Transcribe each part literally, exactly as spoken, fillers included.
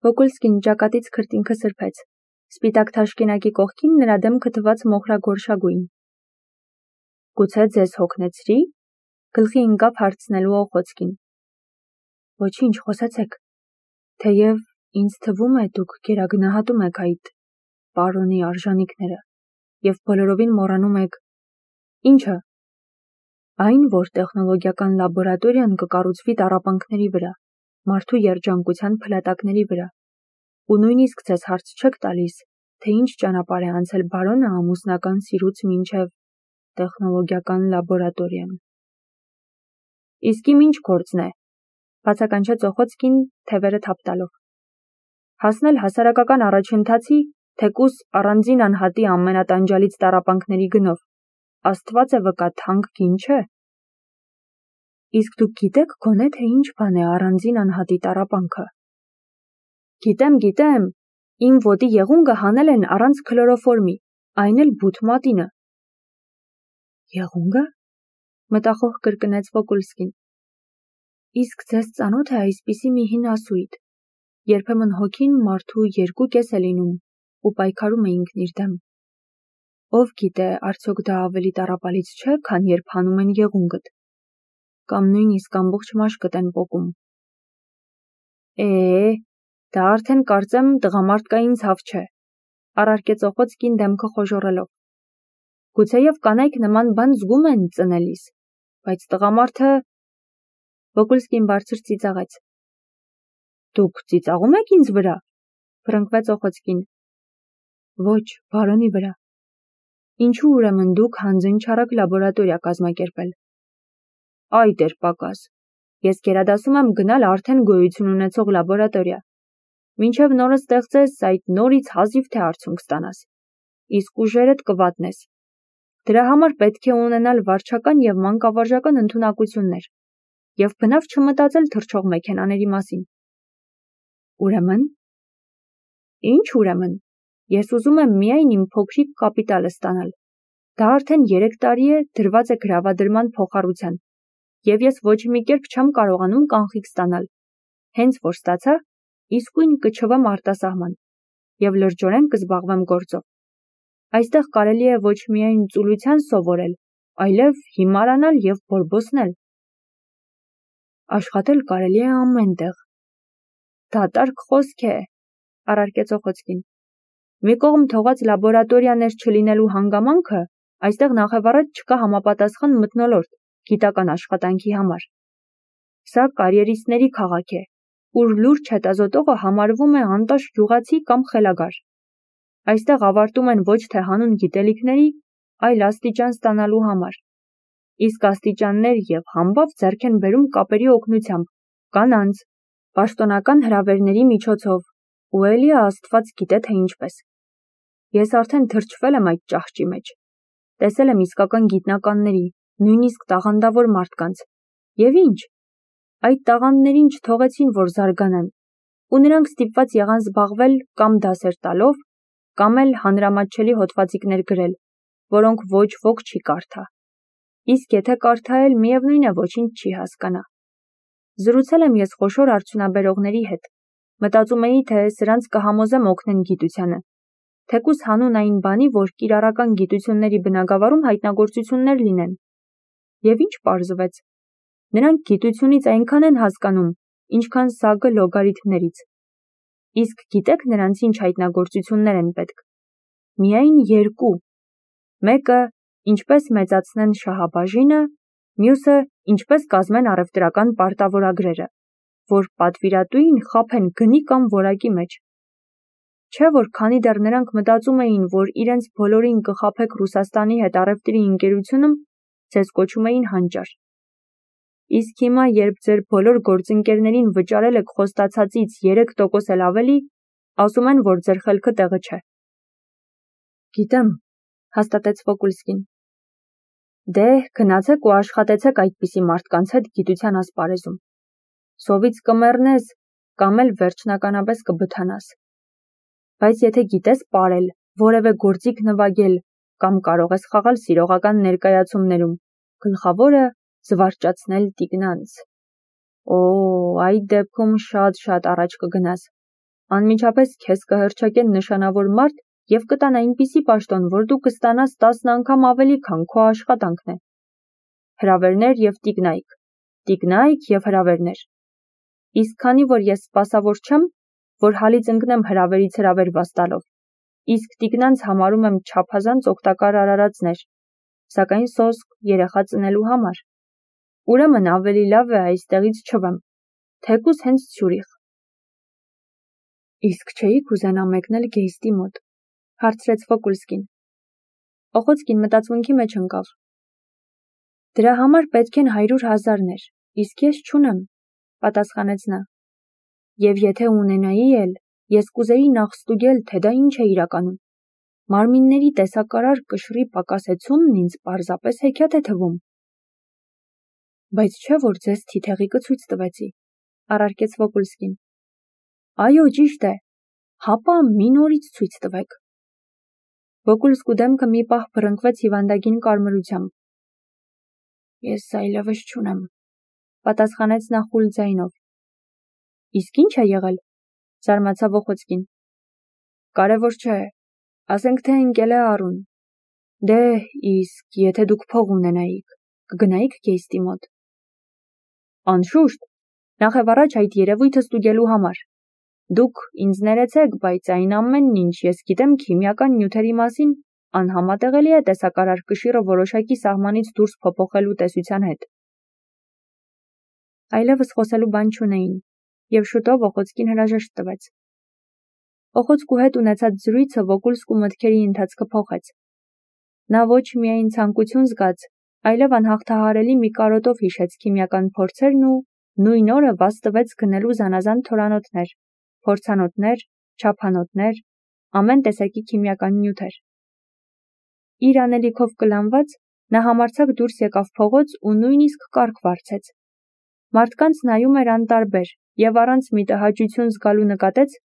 Վոգոլսկին ճակատից քրտինքը սրբեց, սպիտակ թաշկինակի կողքին նրա դեմքը թվաց մոխրագորշագույն։ Գուցե ձեզ հոգնեցրի, գլխի ընկավ հարցնելու Օխոցկին։ Ոչինչ, խոսեցեք, թեև ինձ թվում է դուք գերագնահատում եք այդ պարոնի արժանիքները և բոլորովին մոռանում եք, ինչը, այն, որ տեխնոլոգիական լաբորատորիան կկառուցվի տառապանքների վրա, մարդու երջանկության փլատակների վրա, ու նույնիսկ ձեզ հարց չեք տալիս, թե ինչ ճանապարհ է անցել բարոնը ամուսնական սիրուց մինչև տեխնոլոգիական լաբորատորիան։ Իսկ իմ ինչ գործն է, բացականչեց Օխոցկին թևերը թափ տալով։ Հասնել հասարակական առաջընթացի, թեկուզ առանձին անհատի ամենատանջալից տառապանքների գնով, Աստված է վկա, թանկ գին չէ։ Իսկ դուք գիտեք գոնե թե ինչ բան է առանձին անհատի տառապանքը։ Գիտեմ, գիտեմ, իմ ոտի եղունգը հանել են առանց քլորոֆորմի, այն էլ բութ մատինը։ Եղունգը, մտախոհ կրկնեց Վոգոլսկին։ Իսկ ձեզ ծանոթ է այսպիսի մի հին ասույթ, երբեմն հոգին մարդու երկու կես է լինում ու պայքարում է ինքն իր դեմ։ Ով գիտե, արդյոք դա ավելի տառապալից չէ, քան երբ հանում են եղունգդ, կամ նույնիսկ ամբողջ մաշկդ են պոկում։ Է, դա արդեն կարծեմ տղամարդկային ցավ չէ, առարկեց Օխոցկին դեմքը խոժոռելով։ Գուցեև կանայք նման բան զգում են ծնելիս, բայց տղամարդը… Վոգոլսկին բարձր ծիծաղեց։ Դուք ծիծաղում եք ինձ վրա, փրկվեց Օխոցկին։ Ոչ, բարոնի վրա։ Ինչու ուրեմն դուք հանձն չարաք լաբորատորիա կազմակերպել։ Այ դեր պակաս, ես գերադասում եմ գնալ արդեն գոյություն ունեցող լաբորատորիա։ Մինչև նորը ստեղծես, այդ նորից հազիվ թե արդյունք ստանաս, իսկ ուժերդ կվատնես։ Դրա համար պետք է ունենալ վարչական և մանկավարժական ընդունակություններ և բնավ չմտածել թռչող մեքենաների մասին։ Ուրեմն։ Ինչ ուրեմն, ես ուզում եմ միայն իմ փոքրիկ կապիտալը ստանալ։ Դա արդեն երեք տարի է դրված է գրավադրման փոխառության, և ես ոչ մի կերպ չեմ կարողանում կանխիկ ստանալ։ Հենց որ ստացա, իսկույն կչվեմ արտասահման և լրջորեն կզբաղվեմ գործով։ Այստեղ կարելի է ոչ միայն ծուլության սովորել, այլև հիմարանալ և բորբոսնել։ Աշխատել կարելի է ամեն տեղ։ Դատարկ խոսք է, առարկեց Օխոցկին։ Մի կողմ թողած լաբորատորիաներ չլինելու հանգամանքը, այստեղ նախևառաջ չկա համապատասխան մթնոլորտ գիտական աշխատանքի համար։ Սա կարիերիստների քաղաք է, ուր լուրջ հետազոտողը համարվում է անտաշ գյուղացի կամ խելագար։ Այստեղ ավարտում են ոչ թե հանուն գիտելիքների, այլ աստիճան ստանալու համար։ Իսկ աստիճաններ և համբավ ձեռք են բերում կապերի օգնությամբ, կանանց, պաշտոնական հրավերների միջոցով, ու էլի Աստված գիտե թե ինչպես։ Ես արդեն թրջվել եմ այդ ճահճի մեջ։ Տեսել եմ իսկական գիտնականների, նույնիսկ տաղանդավոր մարդկանց։ Եվ ինչ։ Այդ տաղանդներին չթողեցին, որ զարգանան, ու նրանք ստիպված եղան զբաղվել կամ դասեր տալով, կամ էլ հանրամատչելի հոդվածիկներ գրել, որոնք ոչ ոք չի կարդա։ Իսկ եթե կարդա էլ, միևնույն է ոչինչ չի հասկանա։ Զրուցել եմ ես խոշոր արդյունաբերողների հետ, մտածում էի, թե սրանց կհամոզեմ օգնեն գիտությանը, թեկուզ հանուն այն բանի, որ կիրառական գիտությունների բնագավառում հայտնագործություններ լինեն։ Եվ ինչ պարզվեց։ Նրանք գիտությունից այնքան են հասկանում, ինչքան սագը լոգարիթմներից։ Իսկ գիտեք նրանց ինչ հայտնագործություններ են պետք։ Միայն երկու։ Մեկը ինչպես մեծացնեն շահաբաժինը, մյուսը ինչպես կազմեն առևտրական պարտավորագրերը, որ պատվիրատուին խաբեն գնի կամ որակի մեջ։ Չէ՞ որ քանի դեռ նրանք մտածում էին, որ իրենց բոլորին կխաբեք Ռուսաստանի հետ առևտրի ընկերությունում, ձեզ կոչում էին հանճար։ Իսկ հիմա, երբ ձեր բոլոր գործընկերներին վճարել եք խոստացածից երեք տոկոս էլ ավելի, ասում են, որ ձեր խելքը տեղը չէ։ Գիտեմ, հաստատեց Վոգոլսկին։ Դե, գնացեք ու աշխատեցեք այդպիսի մարդկանց հետ գիտության ասպարեզում։ Սովից կմեռնես, կամ էլ վերջնականապես կբթանաս։ Բայց եթե գիտես պարել, որևէ գործիք նվագել, կամ կարող ես խաղալ սիրողական ներկայացումներում, գլխավորը զվարճացնել տիկնանց։ Օ, այդ դեպքում շատ-շատ առաջ կգնաս։ Անմիջապես քեզ կհռչակեն նշանավոր մարդ և կտան այնպիսի պաշտոն, որ դու կստանաս տասն անգամ ավելի, քան քո աշխատանքն է։ Հրավերներ և տիկնայք, տիկնայք և հրավերներ։ Իսկ քանի որ ես սպասավոր չեմ, որ հալից ընկնեմ հրավերից հրավեր վաստալով, իսկ տիկնանց համարում եմ չափազանց օգտակար արարածներ, սակայն սոսկ երեխա ծնելու համար, ուրեմն ավելի լավ է այստեղից չվեմ, թեկուզ հենց Ցյուրիխ։ Իսկ չէի կուզենա մեկնել Գեյստի մոտ, հարցրեց Վոկուլսկին։ Օխոցկին մտածմունքի մեջ ընկավ։ Դրա համար պետք են հարյուր հազարներ, իսկ ես չունեմ, պատասխանեց նա։ Եվ եթե ունենայի էլ, ես կուզեի նախ ստուգել, թե դա ինչ է իրականում։ Մարմինների տեսակարար կշռի պակասեցումն ինձ պարզապես հեքիաթ է թվում։ Բայց չէ՞ որ ձեզ թիթեղիկը ցույց տվեցի, առարկեց Վոկուլսկին։ Այո, ճիշտ է, հապա մի նորից ցույց տվեք։ Վոկուլսկու դեմքը մի պահ բռնկվեց հիվանդագին կարմրությամբ։ Ես այլևս չունեմ, պատասխանեց նա խուլ ձայնով։ Իսկ ինչ է եղել, զարմացավ Օխոցկին։ Կարևոր չէ, ասենք թե ընկել է առուն։ Դե, իսկ եթե դուք փող ունենայիք, կգնայիք Գեյստի մոտ։ Անշուշտ, նախևառաջ այդ երևույթը ստուգելու համար։ Դուք ինձ ներեցեք, բայց այն ամենն, ինչ ես գիտեմ քիմիական նյութերի մասին, անհամատեղելի է տեսակարար կշիռը որոշակի սահմանից դուրս փոփոխելու տեսության հետ։ Այլևս խոսելու բան չունեին, և շուտով Օխոցկին հրաժեշտ տվեց։ Օխոցկու հետ ունեցած զրույցը Վոկուլսկու մտքերի ընթացքը փոխեց։ Նա ոչ միայն ցանկություն զգաց, այլև անհաղթահարելի մի կարոտով հիշեց քիմիական փորձերն ու նույն օրը վազ տվեց գնելու զանազան թորանոթներ, փորձանոթներ, չափանոթներ, ամեն տեսակի քիմիական նյութեր։ Իր անելիքով կլանված, նա համարձակ դուրս եկավ փողոց ու նույնիսկ կառք վարձեց։ Մարդկանց նայում էր անտարբեր և առանց մի տհաճություն զգալու նկատեց,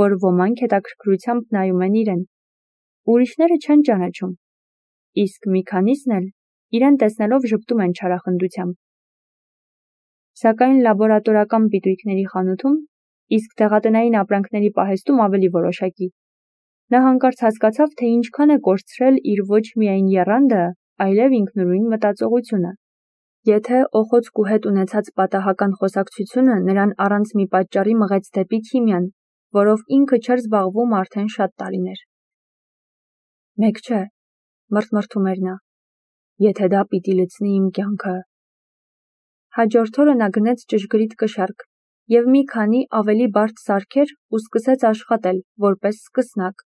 որ ոմանք հետաքրքրությամբ նայում են իրեն։ Ուրիշները չեն ճանաչում, իսկ մի քանիսն էլ իրեն տեսնելով ժպտում են չարախնդությամբ։ Սակայն լաբորատորական պիտույքների խանութում, իսկ դեղատնային ապրանքների պահեստում ավելի որոշակի։ Նա հանկարծ հասկացավ, թե ինչքան է կորցրել իր ոչ միայն եռանդը, այլև ինքնուրույն մտածողությունը։ Եթե Օխոցկու հետ ունեցած պատահական խոսակցությունը նրան առանց մի պատճառի մղեց դեպի քիմիան, որով ինքը չէր զբաղվում արդեն շատ տարիներ։ Մեկ չէ, մռթմռթում էր նա, եթե դա պիտի լցնի իմ կյանքը։ Հաջորդ օրը նա գնեց ճշգրիտ կշեռք և մի քանի ավելի բարդ սարքեր ու սկսեց աշխատել, որպես սկսնակ,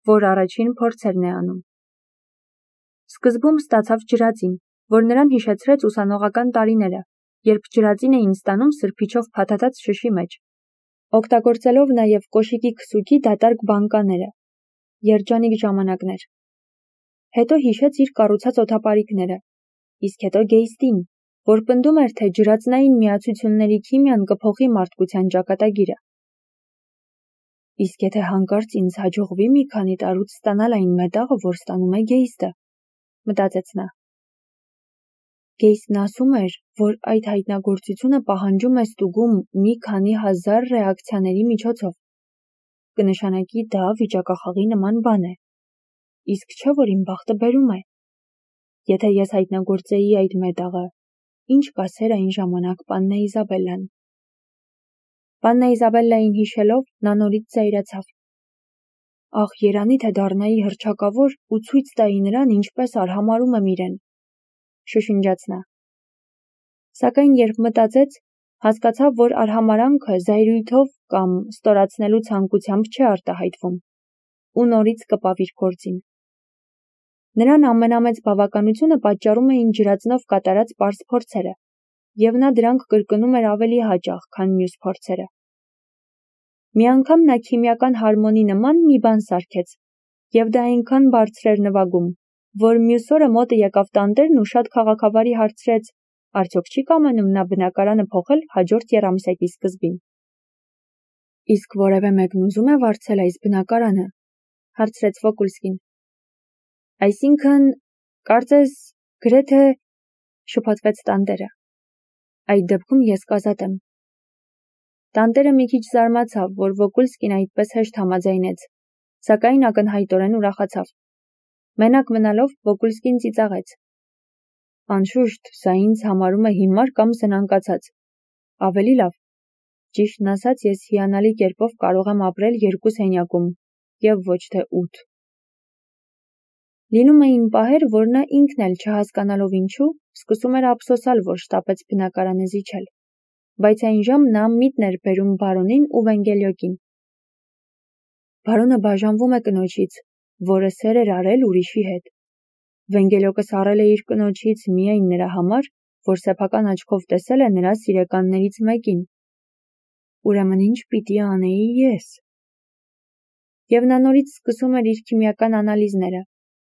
որ առաջին փորձերն է անում։ Սկզբում ստացավ ջրածին, որ նրան հիշեցրեց ուսանողական տարիները, երբ ջրածին էին ստանում սրբիչով փաթաթած շշի մեջ, օգտագործելով նաև կոշիկի քսուկի դատարկ բանկաները։ Երջանիկ ժամանակներ։ Հետո հիշեց իր կառուցած օդապարիկները, իսկ հետո Գեյստին, որ պնդում էր, թե ջրածնային միացությունների քիմիան կփոխի մարդկության ճակատագիրը։ Իսկ եթե հանկարծ ինձ հաջողվի մի քանի տարուց ստանալ այն մետաղը, որ ստանում է Գեյստը, մտածեց նա։ Գեյստն ասում էր, որ այդ հայտնագործությունը պահանջում է ստուգում մի քանի հազար ռեակցիաների միջոցով։ Կնշանակի դա վիճակախաղի նման բան է։ Իսկ չէ՞ որ իմ բախտը բերում է։ Եթե ես հայտնագործեի այդ մետաղը, ինչ կասեր այն ժամանակ պաննա Իզաբելլան։ Պաննա Իզաբելլային հիշելով, նա նորից զայրացավ։ Ախ, երանի թե դառնայի հռչակավոր ու ցույց տայի նրան, ինչպես արհամարհում եմ իրեն, շշնջաց նա։ Սակայն երբ մտածեց, հասկացավ, որ արհամարհանքը զայրույթով կամ ստորացնելու ցանկությամբ չէ արտահայտվում, ու նորից կպավ իր գործին։ Նրան ամենամեծ բավականությունը պատճառում էին ջրածնով կատարած պարզ փորձերը, և նա դրանք կրկնում էր ավելի հաճախ, քան մյուս փորձերը։ Մի անգամ նա քիմիական հարմոնի նման մի բան սարքեց, և դա այնքան բարձր էր նվագում, որ մյուս օրը մոտը եկավ տանտերն ու շատ քաղաքավարի հարցրեց. արդյոք չի կամենում նա բնակարանը փոխել հաջորդ եռամսեկի սկզբին։ Իսկ որևէ մեկն ուզում է վարձել այս բնակարանը, հարցրեց Վոկուլսկին։ Այսինքն, կարծես, գրեթե, շփոթվեց տանտերը։ Այդ դեպքում ես կազատ եմ։ Տանտերը մի քիչ զարմացավ, որ Վոկուլսկին այդպես հեշտ համաձայնեց, սակայն ակնհայտորեն ուրախացավ։ Մենակ մնալով Վոկուլսկին ծիծաղեց. Անշուշտ, սա ինձ համարում է հիմար կամ զնանկացած։ Ավելի լավ, ճիշտն ասած, ես հիանալի կերպով կարող եմ ապրել երկու սենյակում, եւ ոչ թե ութ։ Լինում էին պահեր, որ նա ինքն էլ չհասկանալով ինչու, սկսում էր ափսոսալ, որ շտապեց բնակարանը զիջել, բայց այն ժամ նա միտն էր բերում բարոնին ու Վենգելյոկին։ Բարոնը բաժանվում է կնոջից, որը սեր էր արել ուրիշի հետ։ Վենգելյոկը սառել է իր կնոջից միայն նրա համար, որ սեփական աչքով տեսել է նրա սիրեկաններից մեկին։ Ուրեմն ինչ պիտի անեի ես։ Եվ նա նորից սկսում էր իր քիմիական անալիզները,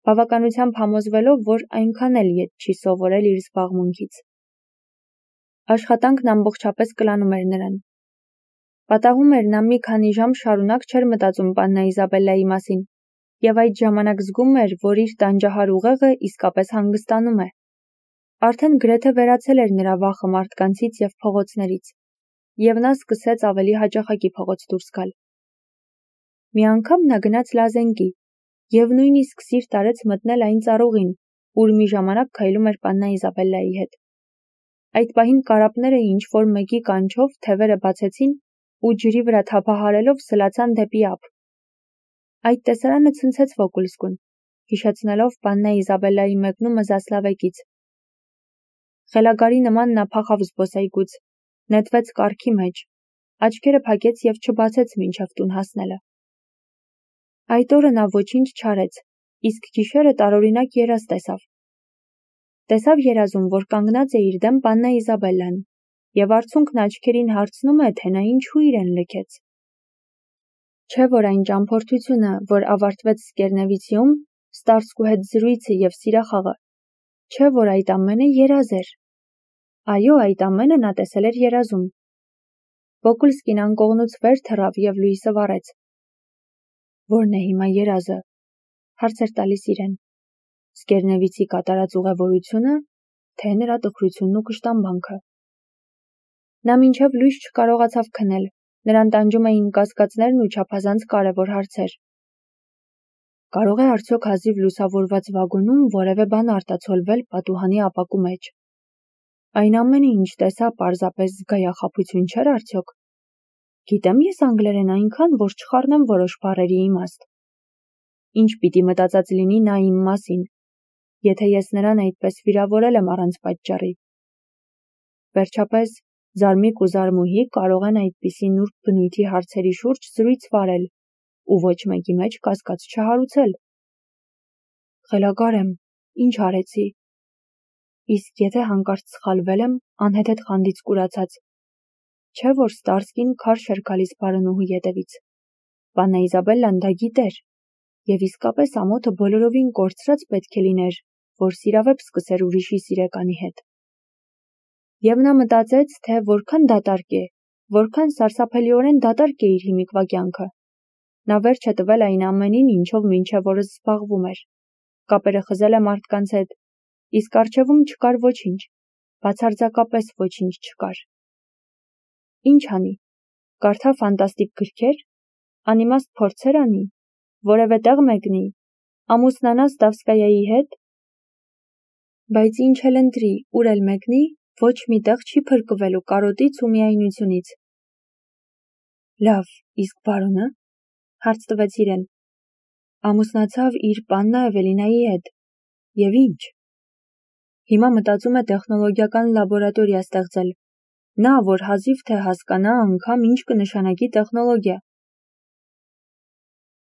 բավականությամբ համոզվելով, որ այնքան էլ ետ չի սովորել իր զբաղմունքից։ Աշխատանքն ամբողջապես կլանում էր նրան։ Պատահում էր նա մի քանի ժամ շարունակ չէր մտածում պաննա Իզաբելլայի մասին, եւ այդ ժամանակ զգում էր, որ իր տանջահար ուղեղը իսկապես հանգստանում է։ Արդեն գրեթե վերացել էր նրա վախը մարդկանցից եւ փողոցներից, եւ նա սկսեց ավելի հաճախակի փողոց դուրս գալ։ Մի անգամ նա գնաց Լազենկի եւ նույնիսկ սիրտ արեց մտնել այն ծառուղին, ուր մի ժամանակ քայլում էր պաննա Իզաբելլայի հետ։ Այդ պահին կարապները ինչ-որ մեկի կանչով թևերը բացեցին ու ջրի վրա թափահարելով սլացան դեպի ափ։ Այդ տեսարանը ցնցեց Վոկուլսկուն, հիշեցնելով պաննա Իզաբելլայի մեկնումը Զասլավեկից։ Խելագարի նման նա փախավ զբոսայգուց, նետվեց կառքի մեջ, աչքերը փակեց եւ չբացեց մինչև տուն հասնելը։ Այդ օրը նա ոչինչ չարեց, իսկ գիշերը տարօրինակ երազ տեսավ։ Տեսավ երազում, որ կանգնած է իր դեմ պաննա Իզաբելլան, եւ արցունքն աչքերին հարցնում է, թե նա ինչու իրեն լքեց։ Չէ՞ որ այն ճամփորդությունը, որ ավարտվեց Սկերնևիցիում, Ստարսկու հետ զրույցը եւ սիրախաղը, չէ՞ որ այդ ամենը երազ էր։ Այո, այդ ամենը նա տեսել էր երազում։ Վոկուլսկին անկողնուց վեր թռավ եւ լույսը վառեց։ Ո՞րն է հիմա երազը, հարց էր տալիս իրեն։ Սկերնևիցի կատարած ուղևորությունը, թե նրա տխրությունն ու կշտամբանքը։ Նա մինչև լույս չկարողացավ քնել, նրան տանջում էին կասկածներն ու չափազանց կարևոր հարցեր։ Կարող է արդյոք հազիվ լուսավորված վագոնում որևէ բան արտացոլվել պատուհանի ապակու մեջ։ Այն ամենը, ինչ տեսա, պարզապես զգայախաբություն չէր արդյոք։ Գիտեմ ես անգլերեն այնքան, որ չխառնեմ որոշ բառերի իմաստ։ Ինչ պիտի մտածած լինի նա իմ մասին, եթե ես նրան այդպես վիրավորել եմ առանց պատճառի։ Վերջապես, զարմիկ ու զարմուհի կարող են այդպիսի նուրբ բնույթի հարցերի շուրջ զրույց վարել ու ոչ մեկի մեջ կասկած չհարուցել։ Խելագար եմ, ինչ արեցի։ Իսկ եթե հանկարծ սխալվել եմ, անհեթեթ խանդից կուրացած։ Չէ՞ որ Ստարսկին քարշ էր գալիս բարոնուհու ետևից։ Պաննա Իզաբելլան դա գիտեր, եւ իսկապես ամոթը բոլորովին կորցրած պետք է լիներ, որ սիրավեպ սկսեր ուրիշի սիրեկանի հետ։ Եվ նա մտածեց, թե որքան դատարկ է, որքան սարսափելիորեն դատարկ է իր հիմիկվա կյանքը։ Նա վերջ է տվել այն ամենին, ինչով մինչև օրս զբաղվում էր։ Կապերը խզել է մարդկանց հետ, իսկ առջևում չկար ոչինչ, բացարձակապես ոչինչ չկար։ Ինչ անի, կարդա ֆանտաստիկ գրքեր, անիմաստ փորձեր անի, որևէ տեղ մեկնի, ամուսնանա Ստավսկայայի հետ։ Բայց ինչ էլ ընտրի, ուր էլ մեկնի, ոչ մի տեղ չի փրկվելու կարոտից ու միայնությունից։ Լավ, իսկ բարոնը, հարց տվեց իրեն։ Ամուսնացավ իր պաննա Էվելինայի հետ։ Եվ ինչ։ Հիմա մտածում է տեխնոլոգիական լաբորատորիա ստեղծել։ Նա, որ հազիվ թե հասկանա անգամ ինչ կնշանակի տեխնոլոգիա։